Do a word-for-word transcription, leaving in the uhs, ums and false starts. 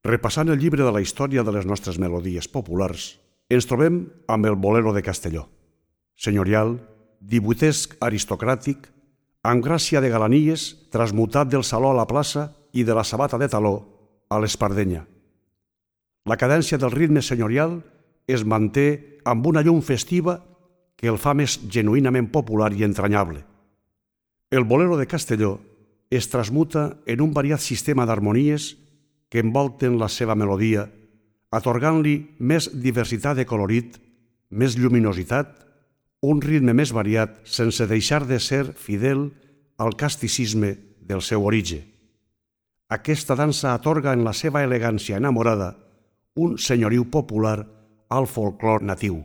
Repassant el llibre de la història de les nostres melodies populars, ens trobem amb el bolero de Castelló. Senyorial, divuitesc aristocràtic, amb gràcia de galanies, transmutat del saló a la plaça i de la sabata de taló a l'espardenya. La cadència del ritme senyorial es manté amb una llum festiva que el fa més genuïnament popular i entranyable. El bolero de Castelló es transmuta en un variat sistema d'harmonies que envolten la seva melodia, atorgant-li més diversitat de colorit, més lluminositat, un ritme més variat sense deixar de ser fidel al casticisme del seu origen. Aquesta dansa atorga en la seva elegància enamorada un senyoriu popular al folklore natiu.